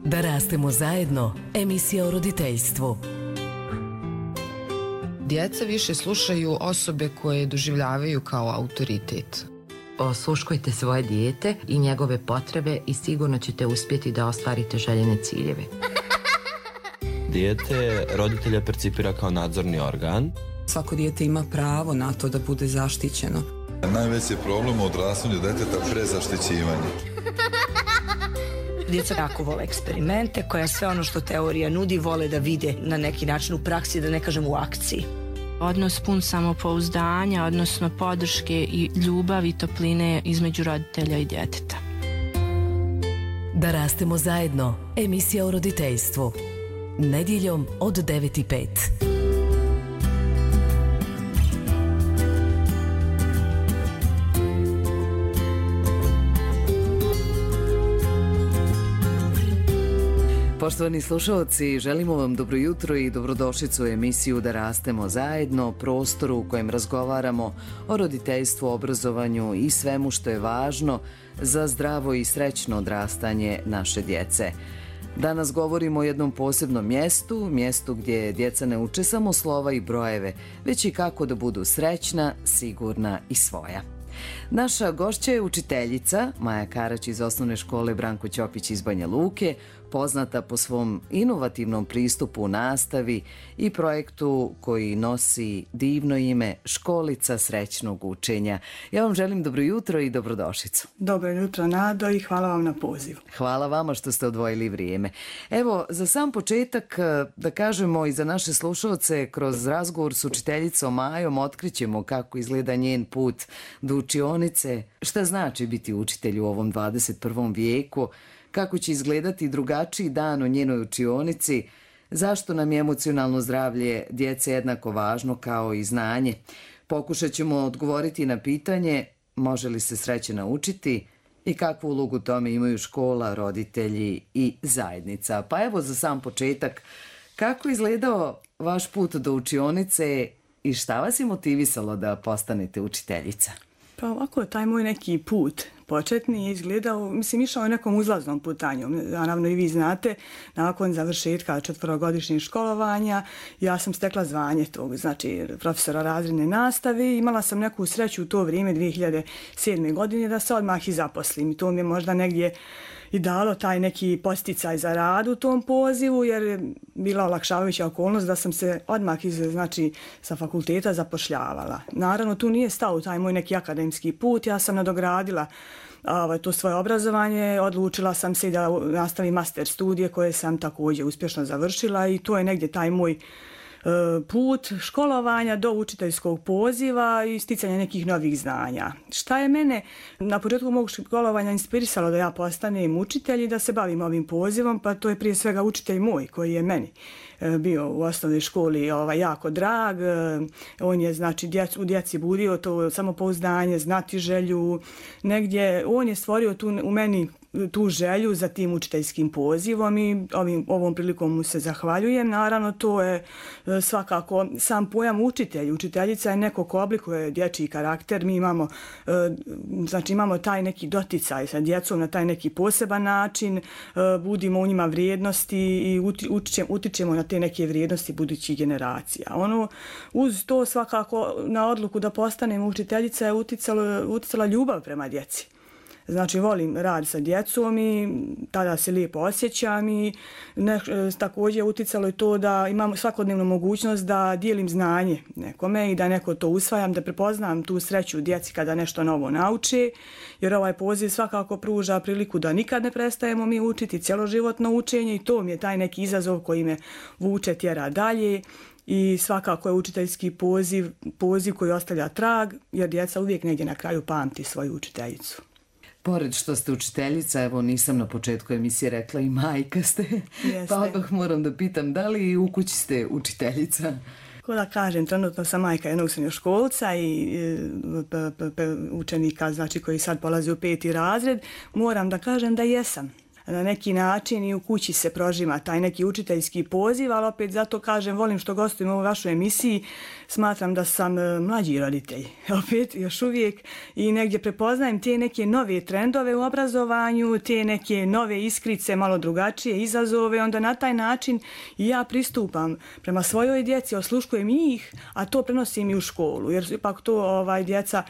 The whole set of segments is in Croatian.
Da rastemo zajedno, emisija o roditeljstvu. Djeca više slušaju osobe koje doživljavaju kao autoritet. Osluškujte svoje dijete i njegove potrebe i sigurno ćete uspjeti da ostvarite željene ciljeve. Dijete roditelja percipira kao nadzorni organ. Svako dijete ima pravo na to da bude zaštićeno. Najveći je problem u odrastanju djeteta prezaštićivanje. Djeca jako vole eksperimente, koja sve ono što teorija nudi vole da vide na neki način u praksi, da ne kažem u akciji. Odnos pun samopouzdanja, odnosno podrške i ljubavi i topline između roditelja i djeteta. Da rastemo zajedno, emisija o roditeljstvu. Nedjeljom od 9:05. Poštovani slušalci, želimo vam dobro jutro i dobrodošlicu u emisiju Da rastemo zajedno, prostoru u kojem razgovaramo o roditeljstvu, obrazovanju i svemu što je važno za zdravo i srećno odrastanje naše djece. Danas govorimo o jednom posebnom mjestu gdje djeca ne uče samo slova i brojeve, već i kako da budu srećna, sigurna i svoja. Naša gošća je učiteljica Maja Karać iz osnovne škole Branko Ćopić iz Banja Luke, poznata po svom inovativnom pristupu u nastavi i projektu koji nosi divno ime Školica srećnog učenja. Ja vam želim dobro jutro i dobrodošlicu. Dobro jutro, Nado, i hvala vam na pozivu. Hvala vama što ste odvojili vrijeme. Evo, za sam početak, da kažemo i za naše slušalce, kroz razgovor s učiteljicom Majom otkrićemo kako izgleda njen put do učionice, šta znači biti učitelj u ovom 21. vijeku, kako će izgledati drugačiji dan u njenoj učionici, zašto nam je emocionalno zdravlje djece jednako važno kao i znanje. Pokušat ćemo odgovoriti na pitanje može li se sreće naučiti i kakvu ulogu tome imaju škola, roditelji i zajednica. Pa evo za sam početak, kako je izgledao vaš put do učionice i šta vas je motivisalo da postanete učiteljica? Pa ovako, taj moj neki put početni je izgledao, išao je nekom uzlaznom putanju. Naravno i vi znate, nakon završetka 4-godišnjeg školovanja, ja sam stekla zvanje tog, znači profesora razredne nastave. Imala sam neku sreću u to vrijeme, 2007. godine, da se odmah i zaposlim. I to mi je možda negdje i dalo taj neki posticaj za rad u tom pozivu, jer je bila olakšavajuća okolnost da sam se odmah sa fakulteta zapošljavala. Naravno, tu nije stao taj moj neki akademski put, ja sam nadogradila to svoje obrazovanje, odlučila sam se da nastavim master studije koje sam također uspješno završila i to je negdje taj moj put školovanja do učiteljskog poziva i sticanja nekih novih znanja. Šta je mene na početku mog školovanja inspirisalo da ja postanem učitelj i da se bavim ovim pozivom, pa to je prije svega učitelj moj koji je meni bio u osnovnoj školi jako drag. On je u djeci budio to samopouzdanje, znatiželju. Negdje on je stvorio u meni tu želju za tim učiteljskim pozivom i ovom prilikom mu se zahvaljujem. Naravno, to je svakako sam pojam učitelj. Učiteljica je neko ko oblikuje dječji karakter. Mi imamo taj neki doticaj sa djecom na taj neki poseban način, budimo u njima vrijednosti i utičemo na te neke vrijednosti budućih generacija. Uz to svakako na odluku da postanem učiteljica je uticala ljubav prema djeci. Znači, volim rad sa djecom i tada se lijepo osjećam i također uticalo je to da imam svakodnevnu mogućnost da dijelim znanje nekome i da neko to usvajam, da prepoznam tu sreću djeci kada nešto novo nauče, jer ovaj poziv svakako pruža priliku da nikad ne prestajemo mi učiti, cjeloživotno učenje i to mi je taj neki izazov koji me vuče, tjera dalje. I svakako je učiteljski poziv koji ostavlja trag, jer djeca uvijek negdje na kraju pamti svoju učiteljicu. Pored što ste učiteljica, evo nisam na početku emisije rekla i majka ste, pa odmah moram da pitam da li u kući ste učiteljica? Ko da kažem, trenutno sam majka jednog srednjoškolca i učenika, znači koji sad polazi u 5. razred, moram da kažem da jesam. na neki način i u kući se prožima taj neki učiteljski poziv, ali opet zato kažem, volim što gostujem u ovoj vašoj emisiji, smatram da sam mlađi roditelj, opet još uvijek, i negdje prepoznajem te neke nove trendove u obrazovanju, te neke nove iskrice, malo drugačije izazove, onda na taj način i ja pristupam prema svojoj djeci, osluškujem ih, a to prenosim i u školu, jer ipak to djeca,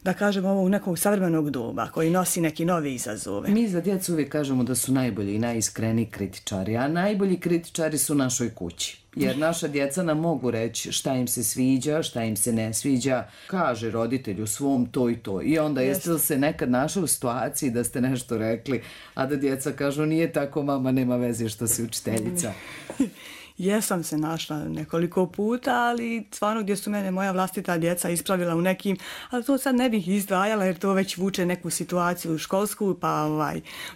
da kažemo, ovog nekog savremenog doba koji nosi neki nove izazove. Mi za djecu uvijek kažemo da su najbolji i najiskreniji kritičari, a najbolji kritičari su u našoj kući. Jer naša djeca nam mogu reći šta im se sviđa, šta im se ne sviđa, kaže roditelju svom to i to. I onda jeste li se nekad našli u situaciji da ste nešto rekli, a da djeca kažu nije tako, mama, nema veze što si učiteljica? Jesam se našla nekoliko puta, ali stvarno gdje su mene moja vlastita djeca ispravila u nekim, ali to sad ne bih izdvajala jer to već vuče neku situaciju školsku, pa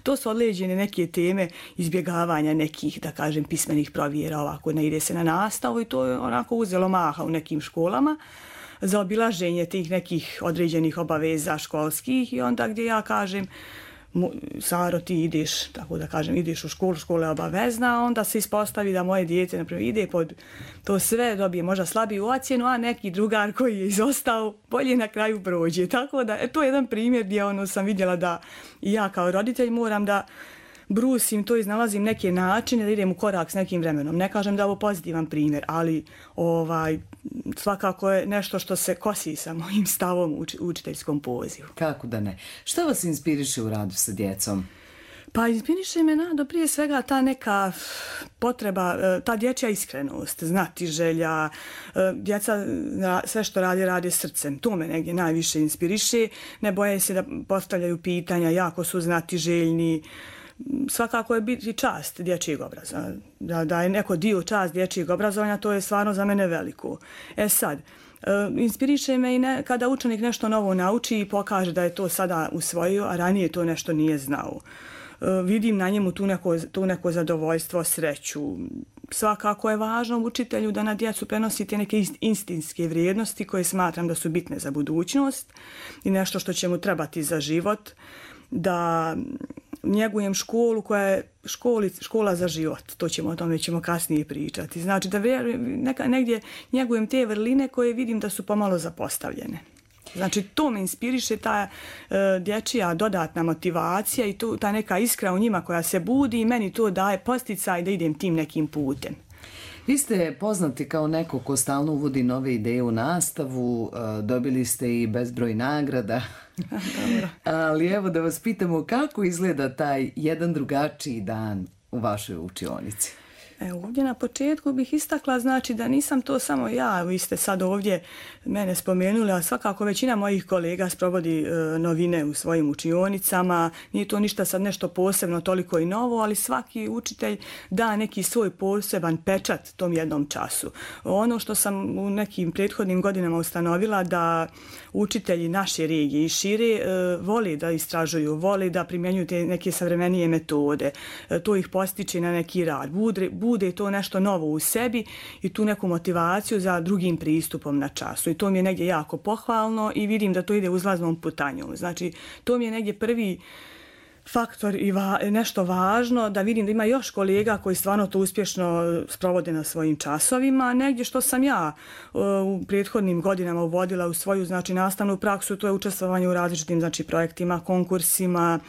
to su određene neke teme izbjegavanja nekih, da kažem, pismenih provjera, ovako ne ide se na nastavu i to je onako uzelo maha u nekim školama za obilaženje tih nekih određenih obaveza školskih i onda gdje ja kažem, Saro, ti ideš, tako da kažem, ideš u školu, škola je obavezna, onda se ispostavi da moje dijete, naprimjer, ide pod to sve, dobije možda slabiju ocjenu, a neki drugar koji je izostao bolje na kraju prođe. Tako da, to je jedan primjer gdje sam vidjela da i ja kao roditelj moram da brusim to, iznalazim neke načine da idem u korak s nekim vremenom. Ne kažem da je ovo pozitivan primjer, ali svakako je nešto što se kosi sa mojim stavom u učiteljskom pozivu. Kako da ne? Što vas inspiriše u radu sa djecom? Pa inspiriše me prije svega ta neka potreba, ta dječja iskrenost, znati želja, djeca sve što rade srcem. To me negdje najviše inspiriše. Ne boje se da postavljaju pitanja, jako su znati željni. Svakako je biti čast dječjeg obrazovanja. Da je neko dio čast dječjeg obrazovanja, to je stvarno za mene veliko. Sad, inspiriše me i kada učenik nešto novo nauči i pokaže da je to sada usvojio, a ranije to nešto nije znao. Vidim na njemu tu neko zadovoljstvo, sreću. Svakako je važno učitelju da na djecu prenosi te neke instinktske vrijednosti koje smatram da su bitne za budućnost i nešto što će mu trebati za život, da njegujem školu koja je škola za život. O tome ćemo kasnije pričati. Znači da negdje njegujem te vrline koje vidim da su pomalo zapostavljene. Znači to me inspiriše, ta dječja dodatna motivacija i ta neka iskra u njima koja se budi i meni to daje posticaj da idem tim nekim putem. Vi ste poznati kao neko ko stalno uvodi nove ideje u nastavu, dobili ste i bezbroj nagrada. Ali evo da vas pitamo kako izgleda taj jedan drugačiji dan u vašoj učionici. Ovdje na početku bih istakla, znači da nisam to samo ja, vi ste sad ovdje mene spomenuli, a svakako većina mojih kolega sprovodi novine u svojim učionicama, nije to ništa sad nešto posebno toliko i novo, ali svaki učitelj da neki svoj poseban pečat tom jednom času. Ono što sam u nekim prethodnim godinama ustanovila da učitelji naše regije i šire voli da istražuju, voli da primjenjuju te neke savremenije metode, to ih postiče na neki rad, bude to nešto novo u sebi i tu neku motivaciju za drugim pristupom na času. I to mi je negdje jako pohvalno i vidim da to ide uzlaznom putanjom. Znači, to mi je negdje prvi faktor i nešto važno, da vidim da ima još kolega koji stvarno to uspješno sprovode na svojim časovima. Negdje što sam ja u prethodnim godinama uvodila u svoju nastavnu praksu, to je učestvovanje u različitim projektima, konkursima,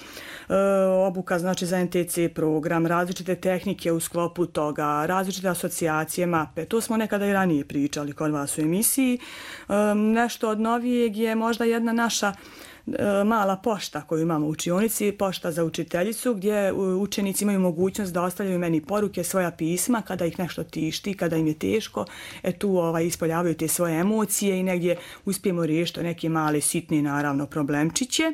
obuka za NTC program, različite tehnike u sklopu toga, različite asocijacije, mape. To smo nekada i ranije pričali kod vas u emisiji. Nešto od novijeg je možda jedna naša mala pošta koju imamo u učionici, pošta za učiteljicu, gdje učenici imaju mogućnost da ostavljaju meni poruke, svoja pisma kada ih nešto tišti, kada im je teško. Tu ispoljavaju te svoje emocije i negdje uspijemo riješiti neke male, sitne, naravno, problemčiće.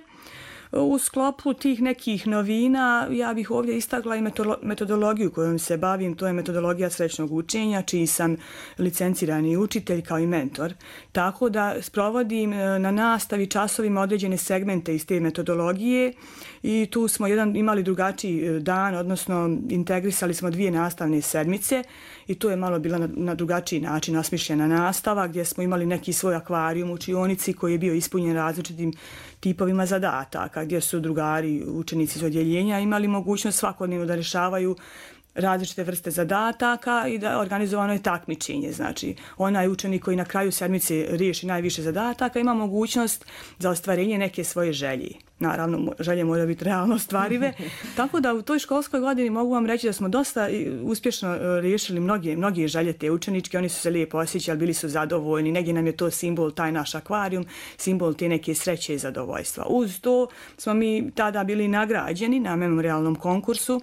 U sklopu tih nekih novina ja bih ovdje istakla i metodologiju kojom se bavim, to je metodologija srećnog učenja, čiji sam licencirani učitelj kao i mentor. Tako da sprovodim na nastavi časovima određene segmente iz te metodologije i tu smo imali drugačiji dan, odnosno integrisali smo 2 nastavne sedmice i to je malo bila na drugačiji način osmišljena nastava gdje smo imali neki svoj akvarijum u učionici koji je bio ispunjen različitim tipovima zadataka, gdje su drugari, učenici iz odjeljenja imali mogućnost svakodnevno da rješavaju različite vrste zadataka i da organizovano je takmičenje. Znači, onaj učenik koji na kraju sedmice riješi najviše zadataka ima mogućnost za ostvarenje neke svoje želje. Naravno, želje moraju biti realno ostvarive. Tako da u toj školskoj godini mogu vam reći da smo dosta uspješno riješili mnoge želje te učeničke. Oni su se lijepo osjećali, bili su zadovoljni. Negdje nam je to simbol, taj naš akvarijum, simbol te neke sreće i zadovoljstva. Uz to smo mi tada bili nagrađeni na memorialnom konkursu,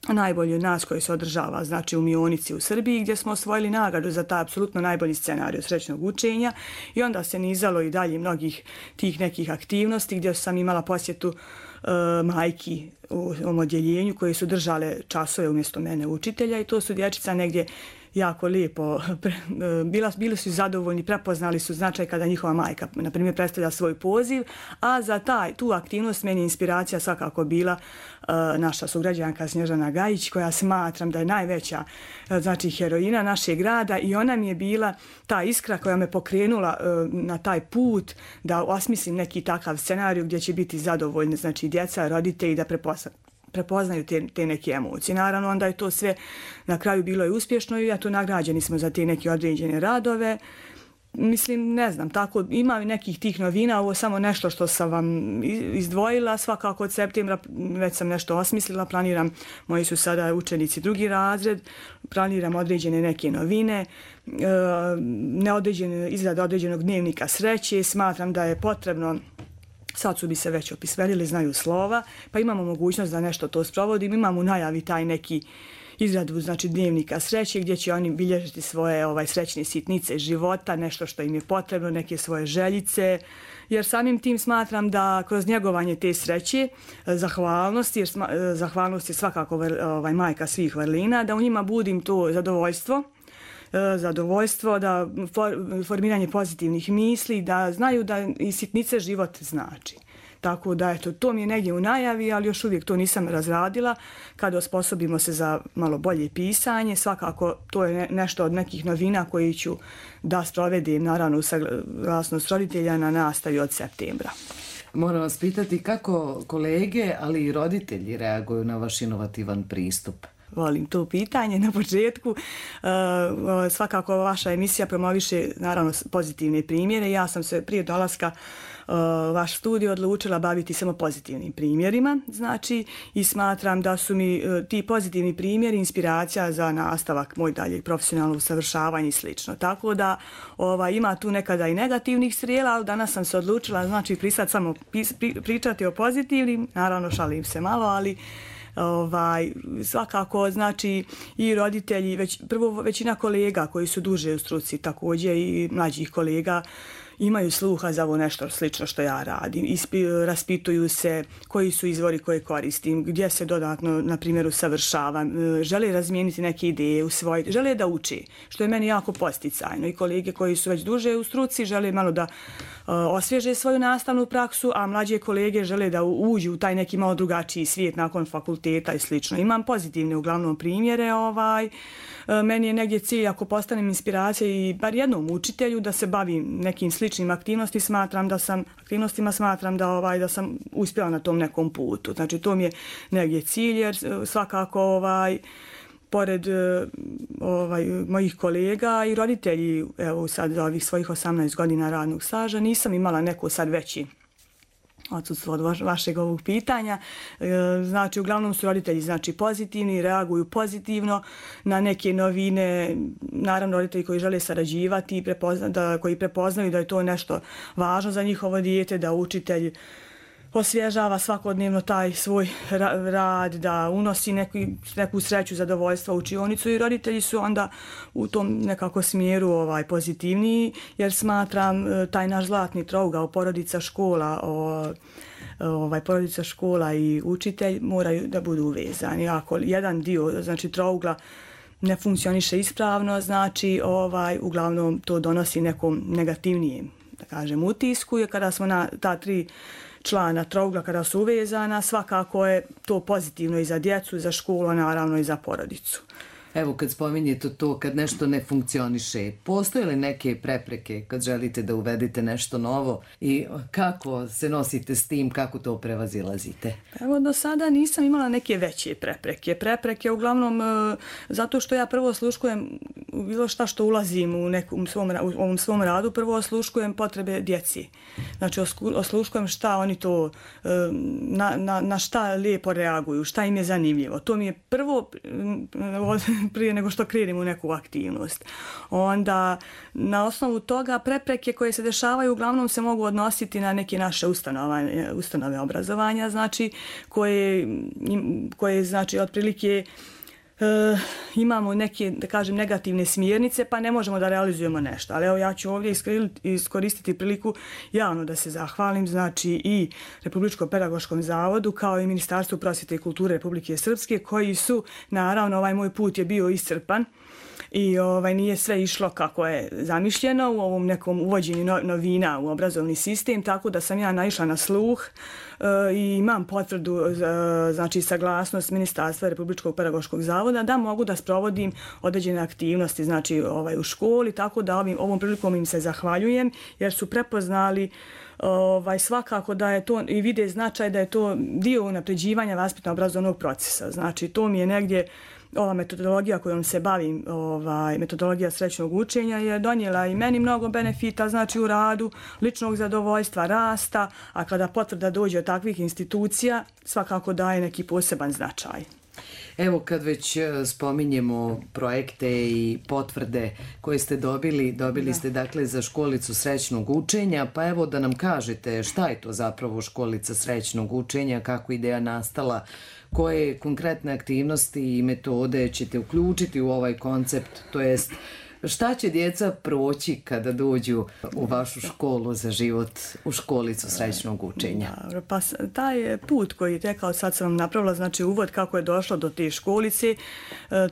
najbolji od nas koji se održava, znači u Mionici u Srbiji, gdje smo osvojili nagradu za taj apsolutno najbolji scenarij srećnog učenja i onda se nizalo i dalje mnogih tih nekih aktivnosti gdje sam imala posjetu majki u ovom odjeljenju koje su držale časove umjesto mene učitelja i to su dječica negdje jako lijepo, bili su zadovoljni, prepoznali su značaj kada njihova majka, na primjer, predstavlja svoj poziv, a za tu aktivnost meni inspiracija svakako bila naša sugrađanka Snježana Gajić, koja smatram da je najveća, znači, heroina našeg grada i ona mi je bila ta iskra koja me pokrenula na taj put da osmislim neki takav scenarij gdje će biti zadovoljni, znači, djeca, roditelji da prepoznaju te neke emocije. Naravno, onda je to sve na kraju bilo i uspješno i eto, nagrađeni smo za te neke određene radove. Mislim, ne znam, tako ima i nekih tih novina, ovo samo nešto što sam vam izdvojila, svakako od septembra već sam nešto osmislila, planiram, moji su sada učenici drugi razred, planiram određene neke novine, izrada određenog dnevnika sreće, smatram da je potrebno. Sad su bi se već opisvelili, znaju slova, pa imamo mogućnost da nešto to sprovodim. Imamo u najavi taj neki izradu, znači, dnevnika sreće gdje će oni bilježiti svoje srećne sitnice života, nešto što im je potrebno, neke svoje željice, jer samim tim smatram da kroz njegovanje te sreće, zahvalnosti, jer zahvalnost je svakako majka svih vrlina, da u njima budim to zadovoljstvo, da formiranje pozitivnih misli, da znaju da i sitnice život znači. Tako da, eto, to mi je negdje u najavi, ali još uvijek to nisam razradila. Kada osposobimo se za malo bolje pisanje, svakako to je nešto od nekih novina koji ću da sprovedim, naravno, u saglasnost roditelja na nastavi od septembra. Moram vas pitati kako kolege, ali i roditelji reaguju na vaš inovativan pristup. Volim to pitanje na početku. Svakako vaša emisija promoviše, naravno, pozitivne primjere. Ja sam se prije dolaska vaš studio odlučila baviti samo pozitivnim primjerima, znači, i smatram da su mi ti pozitivni primjeri inspiracija za nastavak moj dalje profesionalno usavršavanje i slično. Tako da ima tu nekada i negativnih strijela, ali danas sam se odlučila, znači, samo pričati o pozitivnim, naravno šalim se malo, ali svakako, znači, i roditelji, većina kolega koji su duže u struci, također i mlađih kolega, imaju sluha za ovo nešto slično što ja radim. Raspituju se koji su izvori koje koristim, gdje se dodatno, na primjer, usavršavam, žele razmijeniti neke ideje, usvojiti, žele da uči, što je meni jako posticajno. I kolege koji su već duže u struci žele malo da osvježe svoju nastavnu praksu, a mlađe kolege žele da uđu u taj neki malo drugačiji svijet nakon fakulteta i slično. Imam pozitivne uglavnom primjere. Meni je negdje cilj, ako postanem inspiracija i bar jednom učitelju, da se bavim nekim sličnim aktivnostima, smatram da sam uspjela na tom nekom putu. Znači, to mi je negdje cilj, jer svakako pored mojih kolega i roditelji, evo sad za ovih svojih 18 godina radnog staža, nisam imala neko sad veći odsustvo od vašeg ovog pitanja. Znači, uglavnom su roditelji, znači, pozitivni, reaguju pozitivno na neke novine. Naravno, roditelji koji žele sarađivati, koji prepoznaju da je to nešto važno za njihovo dijete, da učitelj osvježava svakodnevno taj svoj rad, da unosi neku sreću, zadovoljstva u učionicu, i roditelji su onda u tom nekako smjeru pozitivniji, jer smatram taj naš zlatni trougao porodica škola i učitelj moraju da budu uvezani. Ako jedan dio, znači, trougla ne funkcioniše ispravno, znači uglavnom to donosi nekom negativnijem, da kažem, utisku, jer kada smo na ta tri člana trougla kada su uvezana, svakako je to pozitivno i za djecu, i za školu, naravno i za porodicu. Evo kad spominjete to, kad nešto ne funkcioniše, postoje li neke prepreke kad želite da uvedete nešto novo i kako se nosite s tim, kako to prevazilazite? Evo do sada nisam imala neke veće prepreke. Prepreke uglavnom zato što ja prvo osluškujem bilo šta što ulazim u ovom svom radu, prvo osluškujem potrebe djeci. Znači osluškujem šta oni to, na šta lijepo reaguju, šta im je zanimljivo. To mi je prvo prije nego što krenem u neku aktivnost. Onda na osnovu toga prepreke koje se dešavaju uglavnom se mogu odnositi na neke naše ustanove obrazovanja, znači koje znači otprilike imamo neke, da kažem, negativne smjernice, pa ne možemo da realizujemo nešto. Ali evo ja ću ovdje iskoristiti priliku javno da se zahvalim, znači i Republičkom pedagoškom zavodu kao i Ministarstvu prosvjete i kulture Republike Srpske, koji su, naravno, ovaj moj put je bio iscrpan i nije sve išlo kako je zamišljeno u ovom nekom uvođenju novina u obrazovni sistem, tako da sam ja naišla na sluh i imam potvrdu, znači saglasnost Ministarstva Republičkog pedagoškog zavoda da mogu da sprovodim određene aktivnosti, znači u školi, tako da ovom prilikom im se zahvaljujem jer su prepoznali svakako da je to i vide značaj da je to dio unapređivanja vaspitno-obrazovnog procesa. Znači to mi je negdje ova metodologija kojom se bavim, metodologija srećnog učenja je donijela i meni mnogo benefita, znači u radu, ličnog zadovoljstva, rasta, a kada potvrda dođe od takvih institucija, svakako daje neki poseban značaj. Evo kad već spominjemo projekte i potvrde koje ste dobili ste dakle za školicu srećnog učenja, pa evo da nam kažete šta je to zapravo školica srećnog učenja, kako ideja nastala, koje konkretne aktivnosti i metode ćete uključiti u ovaj koncept, to jest šta će djeca proći kada dođu u vašu školu za život, u školicu srećnog učenja? Dobro, pa taj put koji je tekao, sad sam vam napravila, znači uvod kako je došlo do te školice,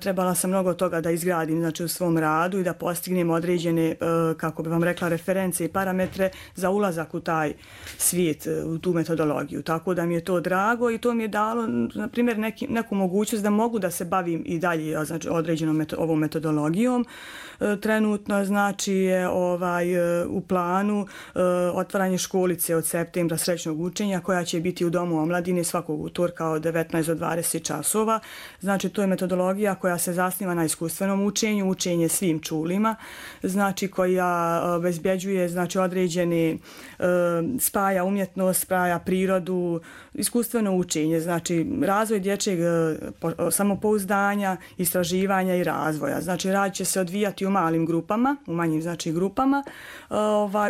trebala sam mnogo toga da izgradim, znači u svom radu i da postignem određene, kako bi vam rekla, reference i parametre za ulazak u taj svijet, u tu metodologiju. Tako da mi je to drago i to mi je dalo, na primjer, neku mogućnost da mogu da se bavim i dalje, znači, određenom ovom metodologijom. Trenutno znači je u planu otvaranje školice od septembra srećnog učenja koja će biti u Domu omladine svakog utorka od 19 do 20 časova. Znači to je metodologija koja se zasniva na iskustvenom učenju, učenje svim čulima, znači koja obezbjeđuje znači određene spaja umjetnost, spaja prirodu, iskustveno učenje, znači razvoj dječjeg samopouzdanja, istraživanja i razvoja. Znači rad će se odvijati u malim grupama, u manjim znači grupama,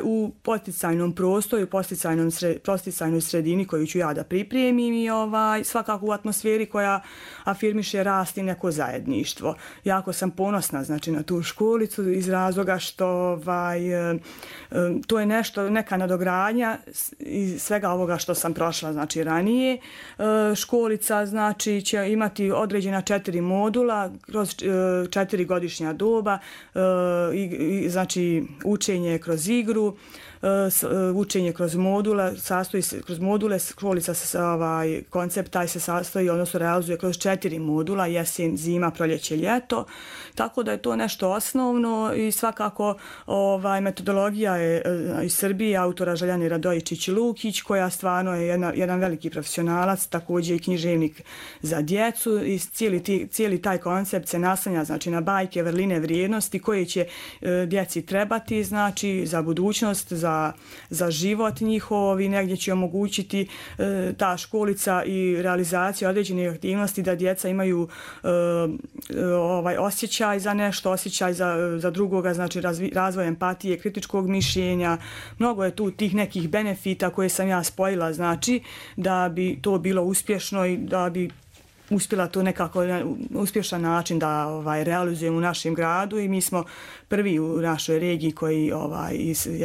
u podsticajnom prostoru, podsticajnoj sredini koju ću ja da pripremim i svakako u atmosferi koja afirmiše rast i neko zajedništvo. Jako sam ponosna znači na tu školicu iz razloga što to je nešto, neka nadogradnja iz svega ovoga što sam prošla znači ranije. Školica znači će imati određena 4 modula kroz 4 godišnja doba, znači učenje kroz igru, učenje kroz modula, kroz module školica koncept taj se sastoji, odnosno realizuje kroz 4 modula, jesen, zima, proljeće, ljeto, tako da je to nešto osnovno i svakako metodologija je iz Srbije, autora Željane Radojičić-Lukić, koja stvarno je jedan veliki profesionalac, također i književnik za djecu i cijeli taj koncept se naslanja znači na bajke, vrline, vrijednosti koje će djeci trebati znači za budućnost, za život njihov i negdje će omogućiti ta školica i realizacija određenih aktivnosti da djeca imaju osjećaj za nešto, osjećaj za drugoga, znači razvoj empatije, kritičkog mišljenja. Mnogo je tu tih nekih benefita koje sam ja spojila, znači da bi to bilo uspješno i da bi uspjela to nekako na uspješan način da realizujemo u našem gradu i mi smo prvi u našoj regiji koji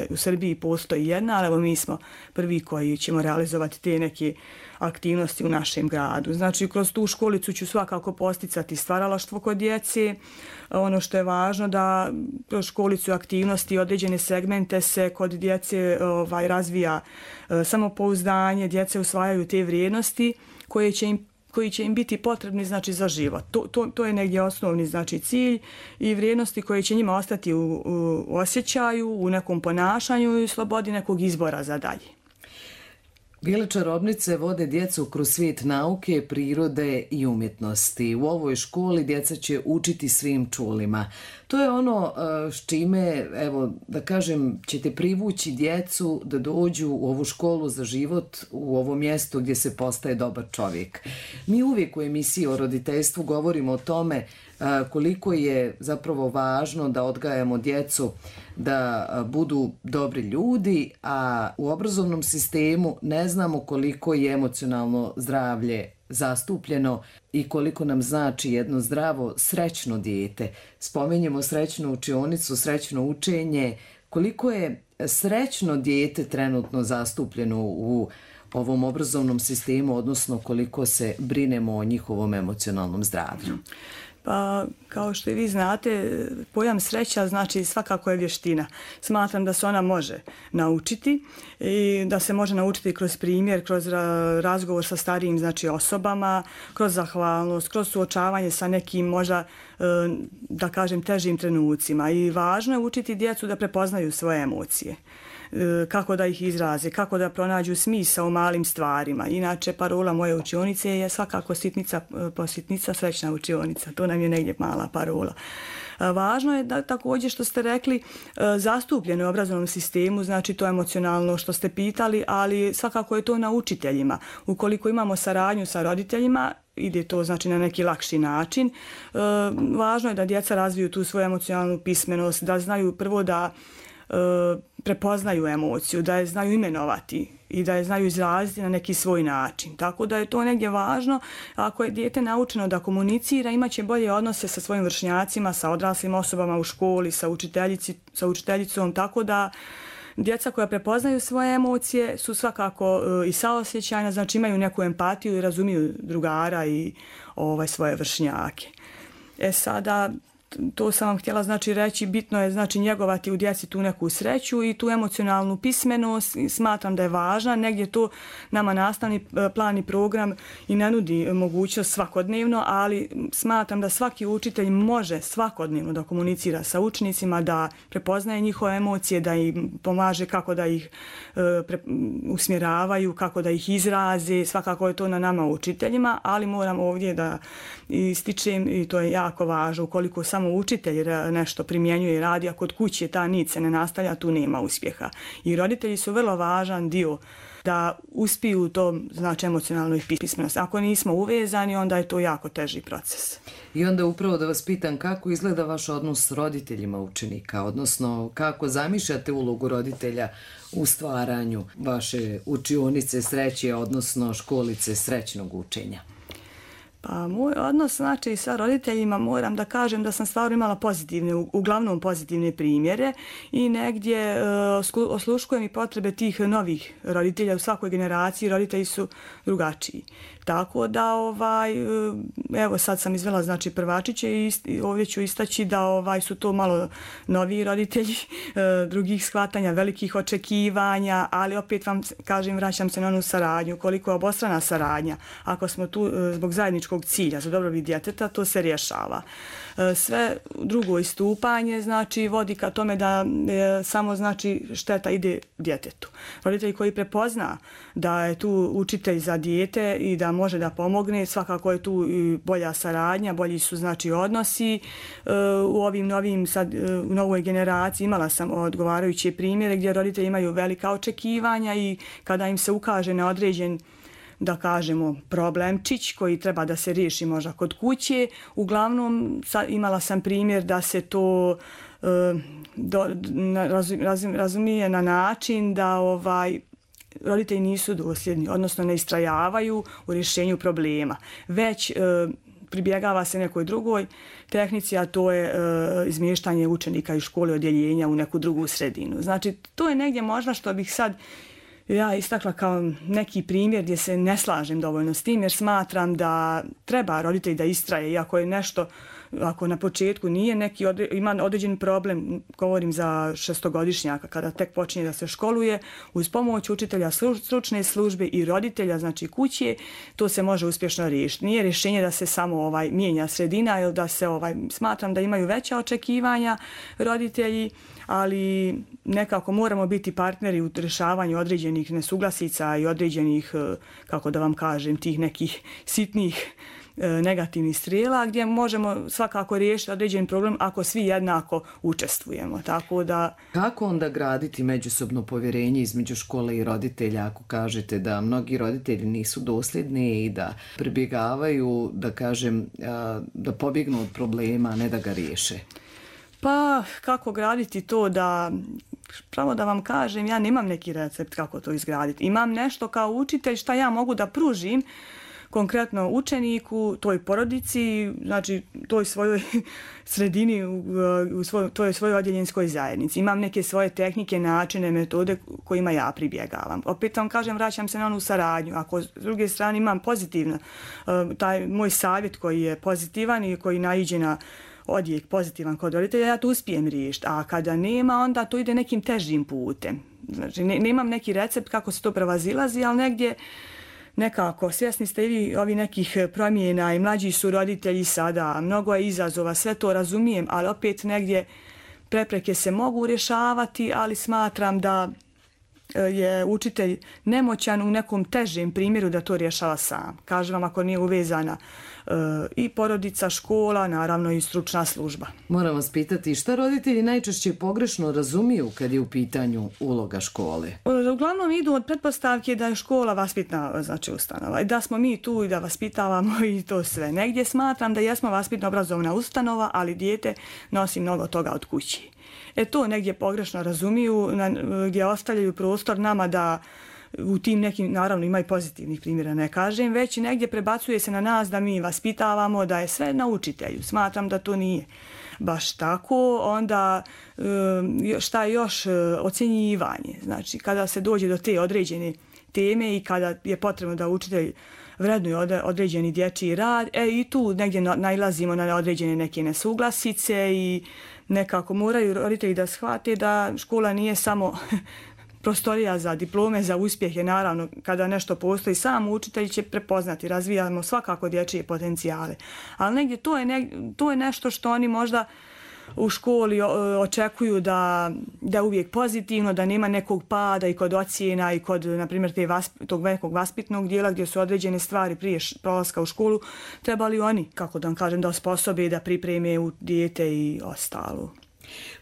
u Srbiji postoji jedna, ali evo mi smo prvi koji ćemo realizovati te neke aktivnosti u našem gradu. Znači kroz tu školicu ću svakako posticati stvaralaštvo kod djece. Ono što je važno da kroz školicu aktivnosti određene segmente se kod djece razvija samopouzdanje, djece usvajaju te vrijednosti koje će im koji će im biti potrebni znači za život. To je negdje osnovni znači cilj i vrijednosti koje će njima ostati u osjećaju, u nekom ponašanju i slobodi nekog izbora za dalje. Bijele čarobnice vode djecu kroz svijet nauke, prirode i umjetnosti. U ovoj školi djeca će učiti svim čulima. To je ono s čime, evo, da kažem, ćete privući djecu da dođu u ovu školu za život, u ovo mjesto gdje se postaje dobar čovjek. Mi uvijek u emisiji o roditeljstvu govorimo o tome koliko je zapravo važno da odgajamo djecu da budu dobri ljudi, a u obrazovnom sistemu ne znamo koliko je emocionalno zdravlje zastupljeno i koliko nam znači jedno zdravo, srećno dijete. Spominjemo srećnu učionicu, srećno učenje. Koliko je srećno dijete trenutno zastupljeno u ovom obrazovnom sistemu, odnosno koliko se brinemo o njihovom emocionalnom zdravlju? Pa, kao što i vi znate, pojam sreća znači svakako je vještina. Smatram da se ona može naučiti i da se može naučiti kroz primjer, kroz razgovor sa starijim znači osobama, kroz zahvalnost, kroz suočavanje sa nekim možda, da kažem, težim trenucima. I važno je učiti djecu da prepoznaju svoje emocije, kako da ih izraze, kako da pronađu smisao u malim stvarima. Inače, parola moje učionice je svakako sitnica po sitnica, srećna učionica. To nam je negdje mala parola. Važno je da također što ste rekli zastupljeno u obrazovnom sistemu, znači to emocionalno što ste pitali, ali svakako je to na učiteljima. Ukoliko imamo saradnju sa roditeljima, ide to znači na neki lakši način. Važno je da djeca razviju tu svoju emocionalnu pismenost, da znaju prvo da prepoznaju emociju, da je znaju imenovati i da je znaju izraziti na neki svoj način. Tako da je to negdje važno. Ako je dijete naučeno da komunicira, imaće bolje odnose sa svojim vršnjacima, sa odraslim osobama u školi, sa učiteljicom, tako da djeca koja prepoznaju svoje emocije su svakako i saosjećajna, znači imaju neku empatiju i razumiju drugara i svoje vršnjake. Sada, to sam vam htjela znači reći, bitno je znači njegovati u djeci tu neku sreću i tu emocionalnu pismenost. Smatram da je važna, negdje to nama nastavni plan i program i ne nudi mogućnost svakodnevno, ali smatram da svaki učitelj može svakodnevno da komunicira sa učenicima, da prepoznaje njihove emocije, da im pomaže kako da ih usmjeravaju, kako da ih izraze. Svakako je to na nama učiteljima, ali moram ovdje da ističem, i to je jako važno, ukoliko samo učitelj nešto primjenjuje i radi, a kod kuće ta nit se ne nastavlja, tu nema uspjeha. I roditelji su vrlo važan dio da uspiju u tom znači emocionalnoj pismenosti. Ako nismo uvezani, onda je to jako teži proces. I onda upravo da vas pitam kako izgleda vaš odnos s roditeljima učenika, odnosno kako zamišljate ulogu roditelja u stvaranju vaše učionice sreće, odnosno školice srećnog učenja? Pa moj odnos znači sa roditeljima, moram da kažem da sam stvarno imala pozitivne, uglavnom pozitivne primjere i negdje osluškujem i potrebe tih novih roditelja. U svakoj generaciji roditelji su drugačiji. Tako da, evo sad sam izvela znači prvačiće i ovdje ću istaći da su to malo noviji roditelji, drugih shvatanja, velikih očekivanja, ali opet vam kažem, vraćam se na onu saradnju. Koliko je obostrana saradnja, ako smo tu zbog zajedničkog cilja za dobrobit djeteta, to se rješava. Sve drugo istupanje znači vodi ka tome da samo znači šteta ide djetetu. Roditelji koji prepozna da je tu učitelj za dijete i da može da pomogne, svakako je tu i bolja saradnja, bolji su znači odnosi. U ovim novim sad u novoj generaciji imala sam odgovarajuće primjere gdje roditelji imaju velika očekivanja i kada im se ukaže na određen, da kažemo, problemčić koji treba da se riješi možda kod kuće. Uglavnom imala sam primjer da se to razumije na način da roditelji nisu dosljedni, odnosno ne istrajavaju u rješenju problema. Već pribjegava se nekoj drugoj tehnici, a to je izmještanje učenika iz škole odjeljenja u neku drugu sredinu. Znači, to je negdje možda što bih sad ja istakla kao neki primjer gdje se ne slažem dovoljno s tim, jer smatram da treba roditelj da istraje, iako je nešto ako na početku nije neki ima određen problem, govorim za 6-godišnjaka kada tek počinje da se školuje, uz pomoć učitelja, stručne službe i roditelja, znači kuće, to se može uspješno riješiti. Nije rješenje da se samo mijenja sredina ili da se smatram da imaju veća očekivanja roditelji, ali nekako moramo biti partneri u rješavanju određenih nesuglasica i određenih, kako da vam kažem, tih nekih sitnih negativnih strijela gdje možemo svakako riješiti određen problem ako svi jednako učestvujemo. Tako da... Kako onda graditi međusobno povjerenje između škole i roditelja ako kažete da mnogi roditelji nisu dosljedni i da pribjegavaju, da kažem, da pobjegnu od problema, a ne da ga riješe? Pa kako graditi to da, pravo da vam kažem, ja nemam neki recept kako to izgraditi. Imam nešto kao učitelj šta ja mogu da pružim konkretno učeniku, toj porodici, znači toj svojoj sredini, toj svojoj odjeljenskoj zajednici. Imam neke svoje tehnike, načine, metode kojima ja pribjegavam. Opet vam kažem, vraćam se na onu saradnju. Ako s druge strane imam pozitivno, taj moj savjet koji je pozitivan i koji naiđe na odjek pozitivan kod roditelja, ja to uspijem riješiti. A kada nema, onda to ide nekim težim putem. Znači, nemam neki recept kako se to prevazilazi, ali negdje nekako, svjesni ste i vi ovi nekih promjena i mlađi su roditelji sada, mnogo je izazova, sve to razumijem, ali opet negdje prepreke se mogu rješavati, ali smatram da je učitelj nemoćan u nekom težem primjeru da to rješava sam. Kažem vam, ako nije uvezana i porodica, škola, naravno i stručna služba. Moram vas pitati, šta roditelji najčešće pogrešno razumiju kad je u pitanju uloga škole? Uglavnom idu od pretpostavke da je škola vaspitna, znači, ustanova i da smo mi tu i da vaspitavamo i to sve. Negdje smatram da jesmo vaspitno obrazovna ustanova, ali dijete nosi mnogo toga od kući. To negdje pogrešno razumiju, gdje ostavljaju prostor nama da u tim nekim, naravno ima i pozitivnih primjera, ne kažem, već negdje prebacuje se na nas da mi vaspitavamo, da je sve na učitelju. Smatram da to nije baš tako. Onda šta je još, ocjenjivanje. Znači, kada se dođe do te određene teme i kada je potrebno da učitelj vrednuje određeni dječji rad, i tu negdje nailazimo na određene neke nesuglasice i nekako moraju roditelji da shvate da škola nije samo prostorija za diplome, za uspjehe. Naravno, kada nešto postoji, sam učitelj će prepoznati, razvijamo svakako dječje potencijale. Ali negdje to je nešto što oni možda u školi očekuju da je uvijek pozitivno, da nema nekog pada i kod ocjena i kod, na primjer, tog nekog vaspitnog dijela gdje su određene stvari prije prolaska u školu, trebali oni, kako da vam kažem, da osposobe, da pripreme u dijete i ostalo.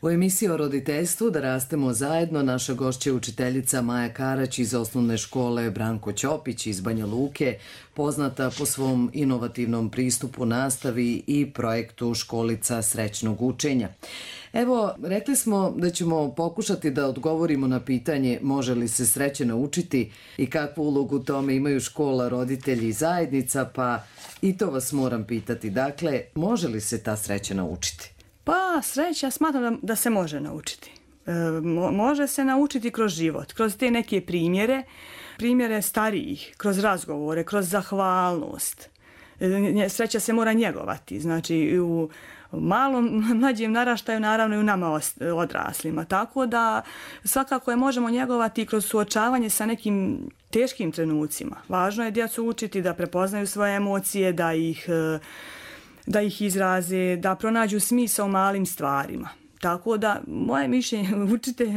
U emisiji o roditeljstvu Da rastemo zajedno naša gošća je učiteljica Maja Karać iz osnovne škole Branko Ćopić iz Banja Luke, poznata po svom inovativnom pristupu nastavi i projektu Školica srećnog učenja. Evo, rekli smo da ćemo pokušati da odgovorimo na pitanje može li se sreće naučiti i kakvu ulogu u tome imaju škola, roditelji i zajednica, pa i to vas moram pitati. Dakle, može li se ta sreća naučiti? Pa sreća, smatram da se može naučiti. Može se naučiti kroz život, kroz te neke primjere starijih, kroz razgovore, kroz zahvalnost. Sreća se mora njegovati, znači u malom, mlađem naraštaju, naravno i u nama odraslima. Tako da svakako je možemo njegovati kroz suočavanje sa nekim teškim trenucima. Važno je djecu učiti da prepoznaju svoje emocije, da ih izraze, da pronađu smisao u malim stvarima. Tako da, moje mišljenje,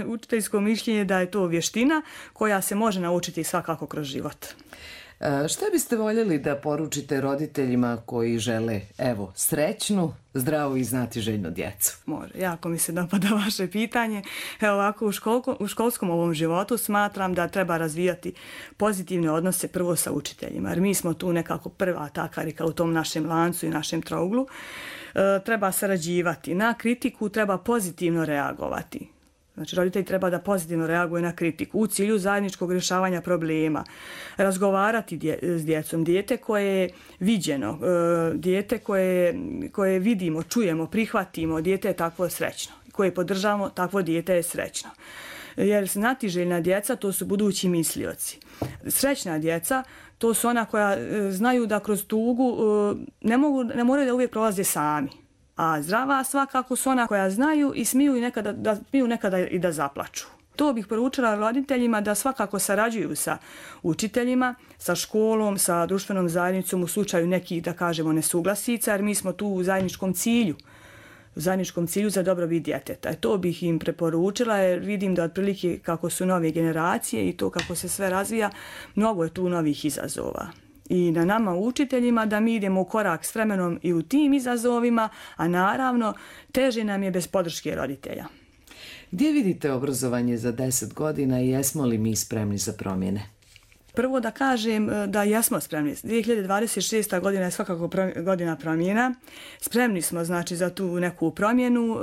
učiteljsko mišljenje da je to vještina koja se može naučiti svakako kroz život. Šta biste voljeli da poručite roditeljima koji žele, evo, srećnu, zdravu i znatiželjnu djecu? Može, jako mi se dopada vaše pitanje. Evo ovako, u školskom ovom životu smatram da treba razvijati pozitivne odnose prvo sa učiteljima, jer mi smo tu nekako prva ta karika u tom našem lancu i našem trouglu. Treba sarađivati. Na kritiku treba pozitivno reagovati. Znači, roditelj treba da pozitivno reaguje na kritiku u cilju zajedničkog rješavanja problema. Razgovarati s djecom. Dijete koje je viđeno, dijete koje vidimo, čujemo, prihvatimo, dijete je takvo srećno. Koje podržavamo, takvo dijete je srećno. Jer znatiželjna djeca, to su budući mislioci. Srećna djeca, to su ona koja znaju da kroz tugu ne moraju da uvijek prolaze sami. A zdrava svakako su ona koja znaju i smiju nekada i da zaplaču. To bih poručila roditeljima da svakako sarađuju sa učiteljima, sa školom, sa društvenom zajednicom u slučaju nekih, da kažemo, nesuglasica, jer mi smo tu u zajedničkom cilju za dobrobit djeteta. To bih im preporučila jer vidim da otprilike kako su nove generacije i to kako se sve razvija, mnogo je tu novih izazova. I na nama učiteljima da mi idemo u korak s vremenom i u tim izazovima, a naravno teže nam je bez podrške roditelja. Gdje vidite obrazovanje za 10 godina i jesmo li mi spremni za promjene? Prvo da kažem da jesmo spremni. 2026. godina je svakako godina promjena. Spremni smo znači za tu neku promjenu.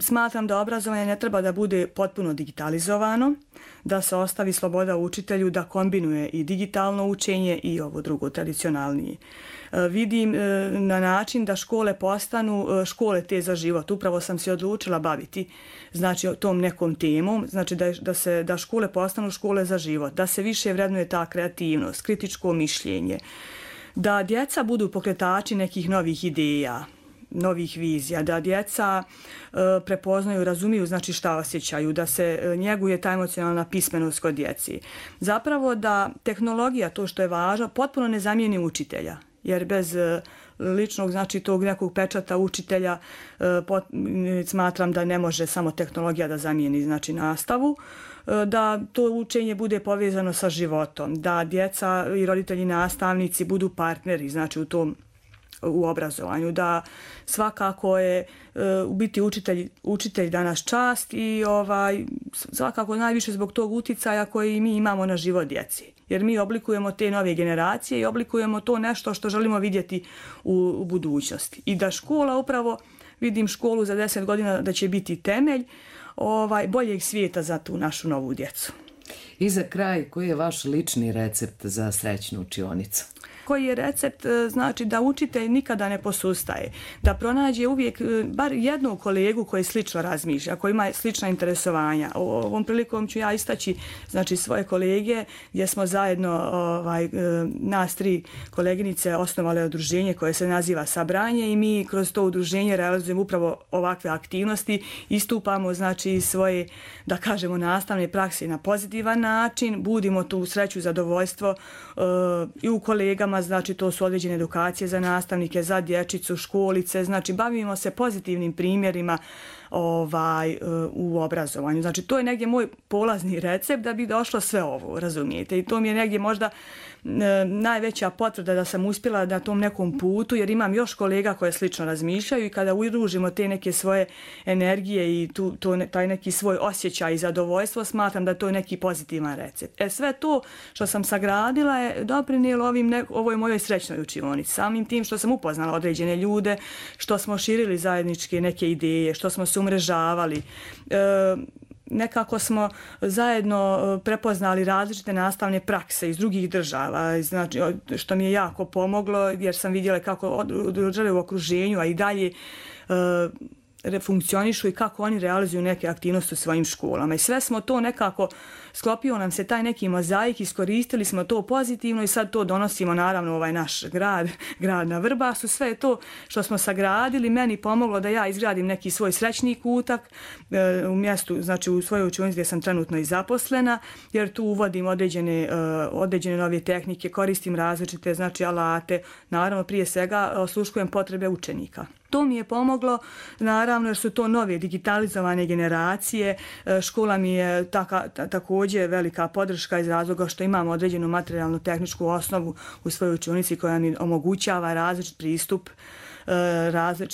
Smatram da obrazovanje ne treba da bude potpuno digitalizovano, da se ostavi sloboda učitelju da kombinuje i digitalno učenje i ovo drugo tradicionalnije. Vidim na način da škole postanu škole te za život. Upravo sam se odlučila baviti znači tom nekom temom, znači da škole postanu škole za život, da se više vrednuje ta kreativnost, kritičko mišljenje, da djeca budu pokretači nekih novih ideja, novih vizija, da djeca prepoznaju, razumiju znači šta osjećaju, da se njeguje ta emocionalna pismenost kod djeci. Zapravo da tehnologija, to što je važno, potpuno ne zamijeni učitelja. Jer bez ličnog, znači tog nekog pečata učitelja smatram da ne može samo tehnologija da zamijeni znači nastavu, da to učenje bude povezano sa životom, da djeca i roditelji nastavnici budu partneri znači u obrazovanju, da svakako je u biti učitelj danas čast i svakako najviše zbog tog uticaja koji mi imamo na život djeci. Jer mi oblikujemo te nove generacije i oblikujemo to nešto što želimo vidjeti u budućnosti. I da škola upravo, vidim školu za 10 godina da će biti temelj boljeg svijeta za tu našu novu djecu. I za kraj, koji je vaš lični recept za srećnu učionicu? Koji je recept? Znači da učitelj nikada ne posustaje, da pronađe uvijek bar jednog kolegu koji slično razmišlja, koji ima slična interesovanja. Ovom prilikom ću ja istaći znači svoje kolege gdje smo zajedno nas 3 koleginice osnovale udruženje koje se naziva Sabranje i mi kroz to udruženje realizujemo upravo ovakve aktivnosti, istupamo znači svoje, da kažemo, nastavne prakse na pozitivan način, budimo tu sreću, zadovoljstvo i u kolegama, znači to su određene edukacije za nastavnike, za dječicu, školice, znači bavimo se pozitivnim primjerima u obrazovanju. Znači to je negdje moj polazni recept da bi došlo sve ovo, razumijete? I to mi je negdje možda najveća potvrda da sam uspjela na tom nekom putu, jer imam još kolega koje slično razmišljaju i kada udružimo te neke svoje energije i taj neki svoj osjećaj i zadovoljstvo, smatram da to je neki pozitivan recept. Sve to što sam sagradila je doprinijelo ovoj mojoj srećnoj učionici. Samim tim što sam upoznala određene ljude, što smo širili zajedničke neke ideje, što smo se umrežavali, nekako smo zajedno prepoznali različite nastavne prakse iz drugih država, znači, što mi je jako pomoglo jer sam vidjela kako žele u okruženju, a i dalje funkcionišu i kako oni realizuju neke aktivnosti u svojim školama. I sve smo to nekako, sklopio nam se taj neki mozaik, iskoristili smo to pozitivno i sad to donosimo naravno u ovaj naš grad na Vrbasu. Sve je to što smo sagradili meni pomoglo da ja izgradim neki svoj srećni kutak u mjestu, znači u svojoj učionici gdje sam trenutno i zaposlena, jer tu uvodim određene nove tehnike, koristim različite znači alate, naravno prije svega osluškujem potrebe učenika. To mi je pomoglo, naravno, jer su to nove digitalizovane generacije. Škola mi je također velika podrška iz razloga što imamo određenu materijalnu tehničku osnovu u svojoj učionici koja mi omogućava različit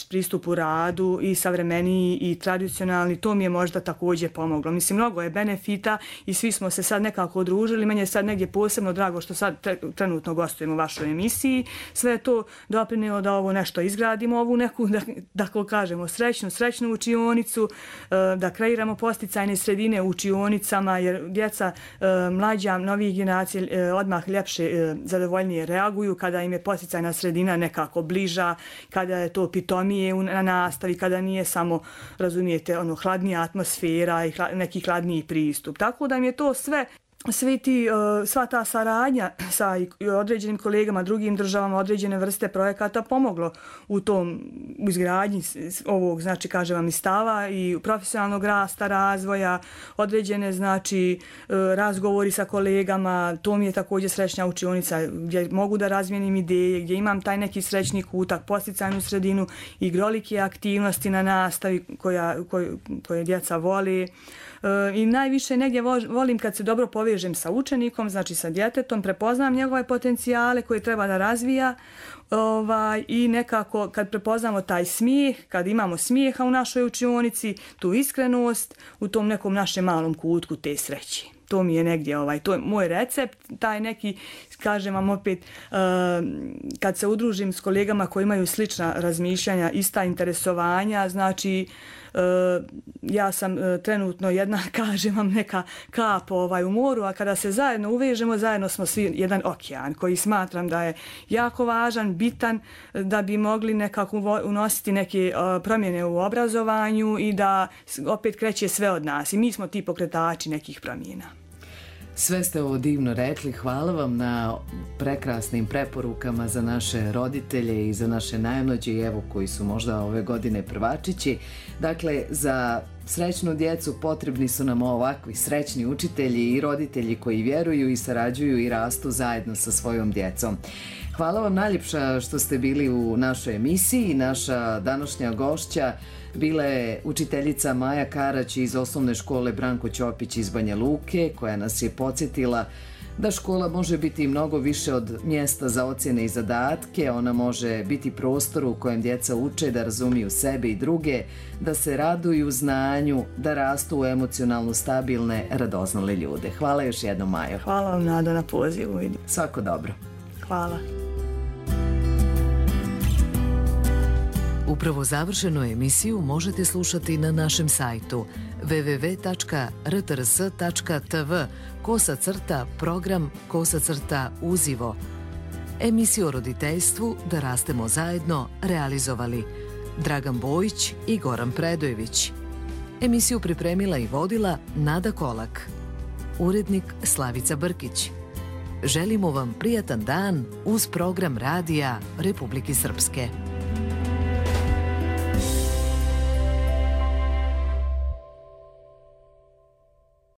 pristup u radu i savremeniji i tradicionalni. To mi je možda također pomoglo. Mislim, mnogo je benefita i svi smo se sad nekako udružili. Meni je sad negdje posebno drago što sad trenutno gostujem u vašoj emisiji. Sve je to doprinijelo da ovo nešto izgradimo, ovu neku, da kažemo, srećnu učionicu, da kreiramo posticajne sredine u učionicama, jer djeca mlađa, novih generacija odmah ljepše, zadovoljnije reaguju kada im je posticajna sredina nekako bliža, kada je to pitomije na nastavi, kada nije samo, razumijete, hladnija atmosfera i neki hladniji pristup. Tako da mi je to sve sva ta saradnja sa određenim kolegama, drugim državama, određene vrste projekata pomoglo u tom izgradnji ovog, znači, kažem vam, i stava i profesionalnog rasta, razvoja, određene, znači, razgovori sa kolegama. To mi je također srećna učionica gdje mogu da razmijenim ideje, gdje imam taj neki srećni kutak, podsticajnu sredinu, igrolike aktivnosti na nastavi koje djeca voli. I najviše negdje volim kad se dobro povežem sa učenikom, znači sa djetetom, prepoznam njegove potencijale koje treba da razvija i nekako kad prepoznamo taj smijeh, kad imamo smijeha u našoj učionici, tu iskrenost, u tom nekom našem malom kutku te sreće. To mi je negdje, to je moj recept, taj neki, kažem vam opet, kad se udružim s kolegama koji imaju slična razmišljanja, ista interesovanja, znači ja sam trenutno jedna, kažem vam, neka kap u moru, a kada se zajedno uvežemo, zajedno smo svi jedan okean koji smatram da je jako važan, bitan, da bi mogli nekako unositi neke promjene u obrazovanju i da opet kreće sve od nas i mi smo ti pokretači nekih promjena. Sve ste ovo divno rekli, hvala vam na prekrasnim preporukama za naše roditelje i za naše najmlađe, evo koji su možda ove godine prvačići. Dakle, za srećnu djecu potrebni su nam ovakvi srećni učitelji i roditelji koji vjeruju i sarađuju i rastu zajedno sa svojom djecom. Hvala vam najljepša što ste bili u našoj emisiji. Naša današnja gošća bila je učiteljica Maja Karać iz osnovne škole Branko Ćopić iz Banja Luke, koja nas je podsjetila da škola može biti mnogo više od mjesta za ocjene i zadatke. Ona može biti prostor u kojem djeca uče da razumiju sebe i druge, da se raduju znanju, da rastu u emocionalno stabilne, radoznale ljude. Hvala još jednom, Majo. Hvala vam, Nada, na pozivu. Svako dobro. Hvala. Upravo završenu emisiju možete slušati na našem sajtu www.rtrs.tv/program/uzivo. Emisiju o roditeljstvu Da rastemo zajedno realizovali Dragan Bojić i Goran Predojević. Emisiju pripremila i vodila Nada Kolak. Urednik Slavica Brkić. Želimo vam prijatan dan uz program radija Republike Srpske.